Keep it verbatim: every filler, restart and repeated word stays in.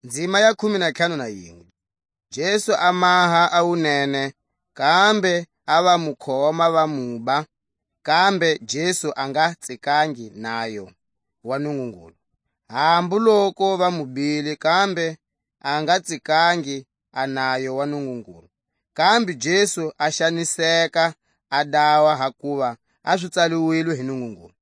Nzima ya khume na ntlhanu na yinwe. Jesu a maha a wunene, kambe a va mu khoma va muba, kambe Jesu a nga tsikangi nayo wa Nungungulu. Hambu loku va mu bile, kambe a nga tsikangi a nayo wa Nungungulu. Kambe Jesu a xaniseka, a dawa, hakuva a swi tsaliwilwe hi Nungungulu.